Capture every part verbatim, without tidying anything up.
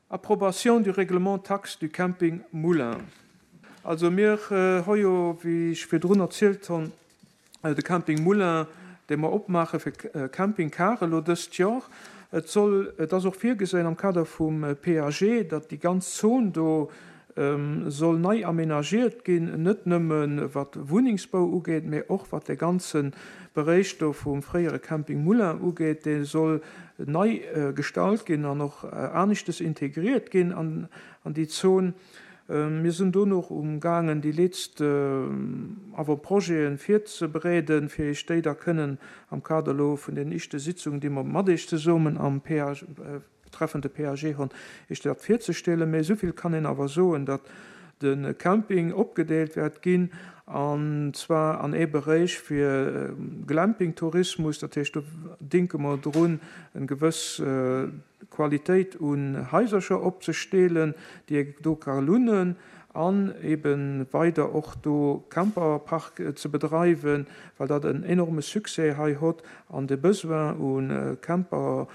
Approbation du règlement taxe du camping Moulin. Also mir hu jo, wéi ech virdrun erzielt hunn, de Camping Moulin, dee mer opmaache fir Campingcare elo dëst Joer. Et soll, et ass och virgesinn am Kader vum P A G, datt déi ganz Zon do soll nei aménagiert ginn, net nëmme wat Wunnengsbau ugeet, mä och wat de ganze Beréich do vum fréiere Camping Moulin ugeet, dee soll nei gestalt ginn an och aneschtes integriert ginn an an déi Zon. Mir sinn do nach umgaangen, déi letzt Avant-projeten virzebereeden, fir iech déi da kënnen am Kader elo vun den éischte Sitzungen, déi mer mat iech zesummen am P A G, betreffend de P A G hunn, iech dat virzestellen. Mä esouvill kann een awer soen, datt de Camping opgedeelt wäert ginn, an zwar an ee Beréich fir Glamping-Tourismus, dat heescht do denke mer drun, eng gewëss Qualitéit un Haisercher opzestelen, déi ee do ka lunnen, an ebe weider och do Camperpark ze bedreiwen, well dat en enorme Succès hei hott an de Besoin u Camper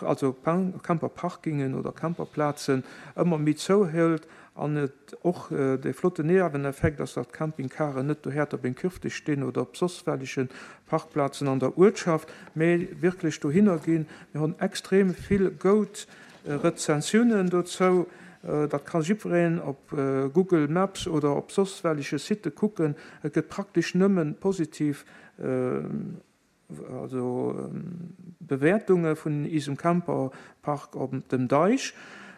also Camperparkingen oder Camperplazen ëmmer méi zouhëlt an et och de flotten Nieweneffekt ass, datt d'Campingcaren net dohäerter beim Kürfdësch stinn oder op soss welleche Parkplazen an der Uertschaft, mä wierklech dohinner ginn. Mir hunn extrem vill goud Rezensiounen dozou. Dat ka jiddwereen op Google Maps oder op soss welleche Sitte kucken. Et gëtt praktesch nëmme positiv also Bewäertunge vun isem Camperpark op dem Deich.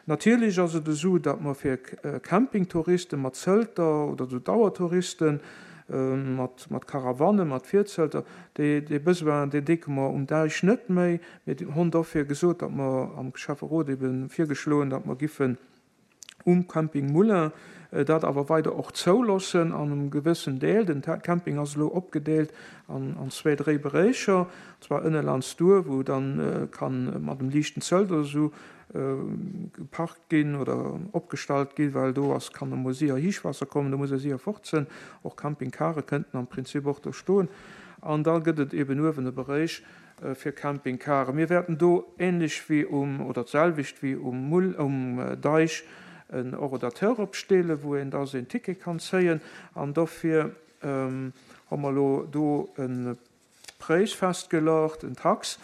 Natierlech ass et esou, datt mer fir Campingtouriste mat Zelter oder esou Dauertouriste mat mat Caravanen, mat Virzelter, dee dee Besoin, deen decke mer um Deich net méi. Mir hunn dofir gesot, datt mer am Schäfferot ebe virgeschloen, datt mer giffen um Camping Moulin dat awer weider och zouloossen an engem gewëssen Deel. Den Camping ass elo opgedeelt an an zwee, dréi Beréicher, und zwar ënne landsduer, wou dann kann mat dem liichten Zelt oder esou geparkt ginn oder opgestallt ginn, well do ass kann emol séier Hiichwaasser kommen, do muss e séier fort sinn. Och Campingcare kënnten am Prinzip och do stoen. An da gëtt et eben uewen e Beréich fir Campingcare. Mir wäerten do ähnlech wéi um, oder d'selwecht wéi um Mull, um Deich, en Horodateur opstellen, wou een da seen Ticket kann zéien. An dofir hu mer elo do e Präis festgeluecht, en Tax,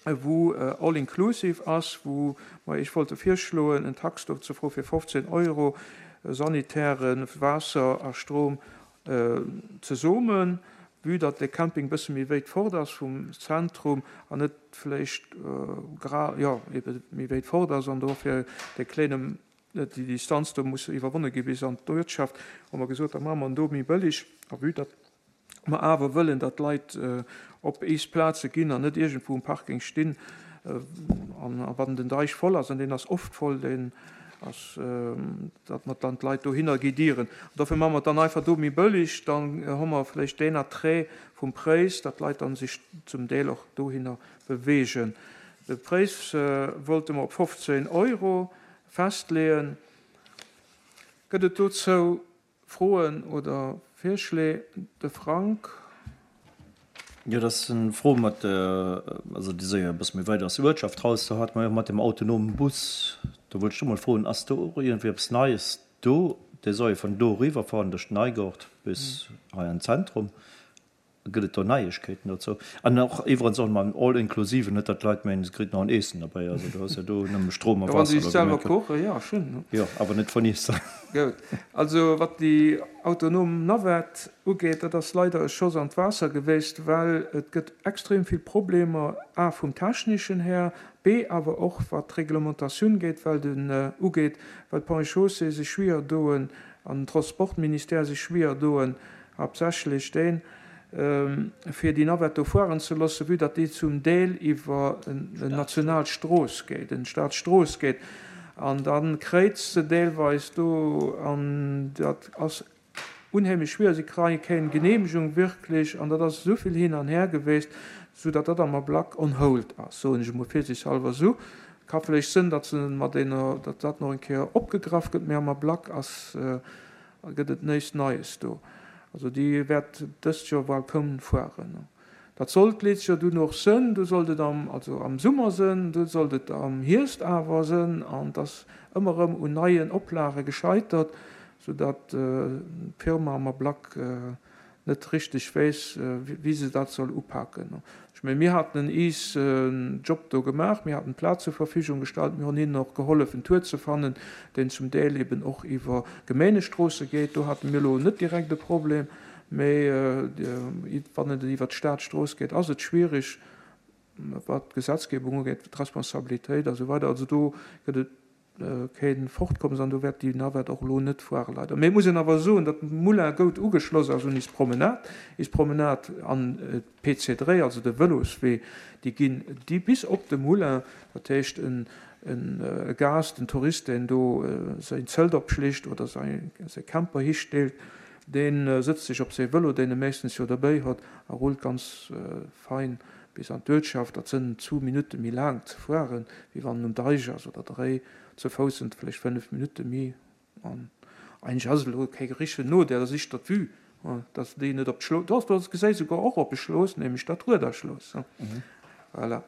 wou all inclusive ass, wou mer iech wollte virschloen, en Tax do ze froe fir fofzéng Euro, Sanitären, Waasser a Strom zesummen, vue datt de Camping bësse méi wéit fort ass vum Zentrum an net vläicht gra, jo, ebe méi wéit fort ass an dofir de kléine, déi Distanz do muss iwwerwonne gi bis an d'Uertschaft, hu mer gesot, da maache mer en do méi bëlleg. A vue datt mer awer wëllen, datt d'Leit op eis Plaze ginn an net iergendwou um Parking stinn, an wann den Deich voll ass, an deen ass oft voll, deen ass, datt mer dann d'Leit dohinner guidieren. An dofir maache mer et dann einfach do méi bëlleg, dann hu mer vläicht deen Attrait vum Präis, datt d'Leit dann sech zum Deel och dohinner beweegen. De Präis wollte mer op fofzéng Euro festleeën. Gëtt et dozou Froen oder Virschléi? De Frank. Jo, dat ass eng Fro mat, also déi soll jo e bësse méi weit aus der Uertschaft raus. Do hate mer jo mat dem autonomen Bus, do wollt ech do mol froen, ass do och iergendwéi eppes Neies do? Dee soll jo vun do eriwwerfahren duerch den Neigort bis hei an d'Zentrum. Gëtt et do Neiegkeeten dozou? An och iwwerens och mam All-inclusive, net datt d'Leit mengen, se kritt nach en Eessen derbäi. Also do ass jo do nëmme Strom a Jo, wann se Waasser sech elo selwer gemengt. kochen, jo, schonn. Jo, awer net vun Iesse. Gout. Also wat déi autonom Navette ugeet, dat ass leider e Schoss an d'Waasser geweest, well et gëtt extrem vill Problemer, a vum Techneschen her, b awer och wat d'Reglementatioun geet, well den ugeet, well d'Ponts et Chaussées sech schwieer doen an den Transportministère sech schwieer doen, haaptsächlech deen, fir déi Navette do fueren ze loossen, vue datt déi zum Deel iwwer en national Strooss geet, en Staatsstrooss geet, an da kréizt se deelweis do, an dat ass unheemlech schwierig. Si kréie keng Genehmegung wierklech, an dat ass esou vill hin an her geweest, soudatt dat am Ablack on hold ass, soen ech emol virsiichtshalber esou. Ka vläicht sënn, datt se mat deene, datt dat nach eng Kéier opgegraff gëtt, mä am Ablack ass, gëtt et näischt Neies do. Also déi wäert dëst Joer bal kaum fueren. Dat sollt d'letzcht Joer dunn och sënn, du sollt et am, also am Summer sënn, du sollt et am Hierscht awer sënn, an et ass ëmmer erëm un neien Oplage gescheitert, soudatt d'Firma am Ablack net richteg weess, wéi se dat soll upaken. Ech mengen, mir haten iis Job do gemaach, mir haten d'Plaz zur Verfügung gestallt, mir hunn hinnen och gehollef, en Tour ze fannen, deen zum Deel eben och iwwer Gemeengestroosse geet. Do hate mir elo net direkt e Problem, mee wann et iwwer d'Stadstrooss geet, ass et schwierig, wat d'Gesetzgebung ugeet, d'Responsabilitéit a sou weider. Also do gëtt et kee Fortkommes an do wäert déi Navette och elo net fuere leider. Mee et muss een awer soen, datt Moulin goud ugeschloss ass un is Promenade. Is Promenade an d'P C dräi, also de Vëloswee, déi ginn déi bis op de Moulin. Dat heescht en e Gast, en Tourist, deen do säin Zelt opschlécht oder säi Camper histeelt, dee sëtzt sech op säi Vëlo, deen e meeschtens jo derbäi huet, a rullt ganz fein bis an d'Uertschaft. Dat sënn zwou Minutte méi laang ze fueren, wéi wann en um Deich ass, oder dréi. Ze Fouss sënn et vläicht fënnef Minutte méi. An eigentlech ass et elo kee richtegen Nodeel, dat ass éischter d'Vue, dass déi net op d'Schlooss, doch, do gesäis souguer och op e Schlooss, nämlech dat Ruederschlooss. Voilà.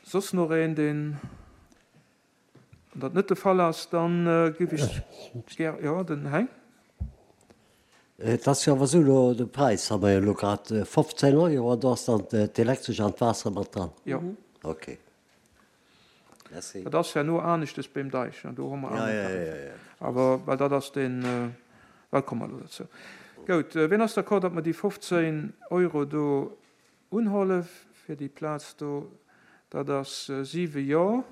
Soss nach een, deen, wann dat net de Fall ass, da géif ech gär, jo, den Heng. Et ass jo awer esou, elo de Präis ha mer jo elo grad, fofzéng Euro, an do ass dann d'Elektresch an d'Waasser mat dran? Jo. Okay. Merci. Dat ass herno aneschtes beim Deich, do hu mer aner Tariffer. Awer well dat ass deen, well komme mer elo dozou. Gout, wien ass d'accord, datt mer déi fofzéng Euro do unhole fir déi Plaz do? Dat ass siwe Jo.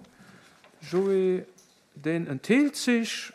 Joé, deen entheelt sech.